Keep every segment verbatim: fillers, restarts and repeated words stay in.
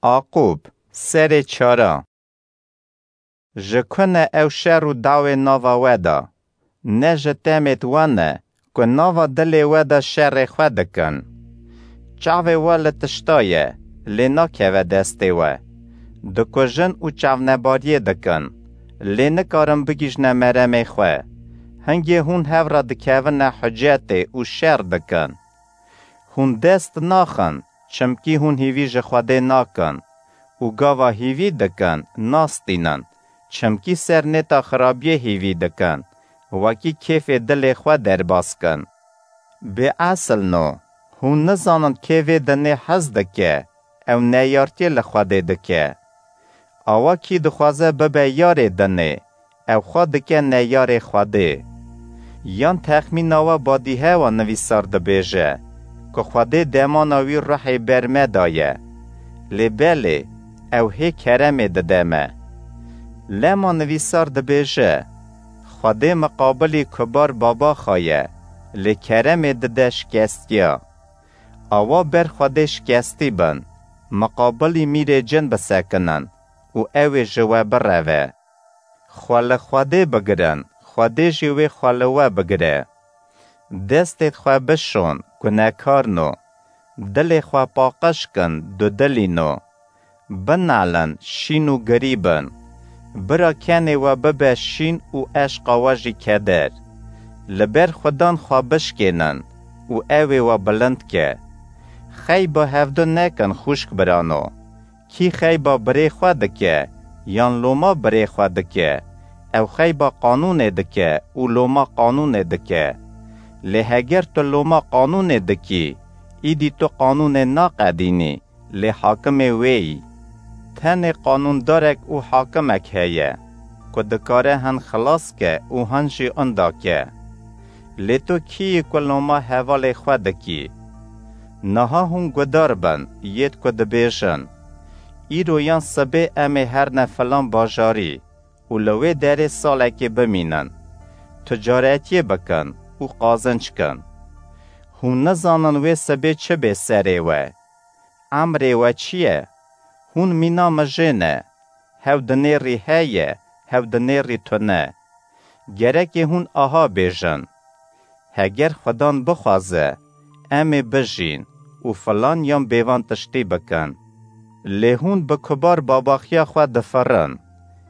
Aqûb, serê çara. Ji ku ne ew şer û dawê nava we de? Ne ji temêt we ne, ku nava dilê we de şerê xwe dikin? Çavê we li tişta ye, lê nakeve destê we. Dikujin û çavnebariyê dikin, lê nikarin bigihîjne meremê xwe. Hingê hûn hev re dikevine hucetê û şer dikin. Hûn dest naxin, çimkî hûn hîvî ji Xwedê nakin û gava hîvî dikin, nastînin, çimkî ser nêta xirabiyê hîvî dikin, wekî kêfê dilê xwe derbas kin. Bêesil no, hûn nizanin kê vê dinê hez dike, ew neyartiyê li Xwedê dike. Awa kî dixwaze bibe yarê dinê, ew xwe dike neyarê Xwedê. Yan texmîna we badîhewa nivîsar dibêje, ku Xwedê demana wî ruhê ber me daye. Lê belê, ew hê keremê dide me. Lema nivîsar dibêje, Xwedê miqabilî kubar baba xwe ye, lê keremê dide şikestiya. Awa ber Xwedê şikestî bin, miqabilî mîrê cin bisekinin û ew ê ji we bireve. Xwe li Xwedê bigirin, Xwedê jî wê xwe li we bigire. Destêd xwe bişon, gunekar no. Dilê xwe paqij kin, dudilî no. Binalin, şîn û girî bin. Bira kenê we bibe şîn û eşqa we jî keder. Li ber Xudan xwe bişkênin û ew ê we bilind ke. Xeyba hevdu nekin xwişk birano. Kî xeyba birê xwe dike, yan loma birê xwe dike, ew xeyba qanûnê dike û loma qanûnê dike. Lê heger tu loma qanûnê dikî, îdî tu qanûnê naqedînî, lê hakimê wê yî. Tenê qanûndarek û hakimek heye, ku dikare hin xilas ke û hin jî inda ke. Lê tu kî yî ku loma hevalê xwe dikî? Niha hûn gudar bin, yêd ku dibêjin, Îro yan sibê em ê herne filan bajarî û li wê derê salekê bimînin, ticaretiyê bikin û qazinc kin. Hûn nizanin wê sibê çi bê serê we. Emrê we çi ye? Hûn mîna mijê ne. Hew dinêrî heye, hew dinêrî tune. Gerekê hûn aha bêjin, Heger Xudan bixwaze, em ê bijîn û filan yan bêvan tiştî bikin. Lê hûn bi kubar babaxiya xwe difirin.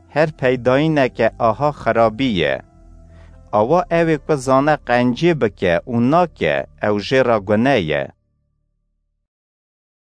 Her peydayîneke aha xirabî ye. Awa ew ê ku zane qencî bike û nake, ew jê re gune ye.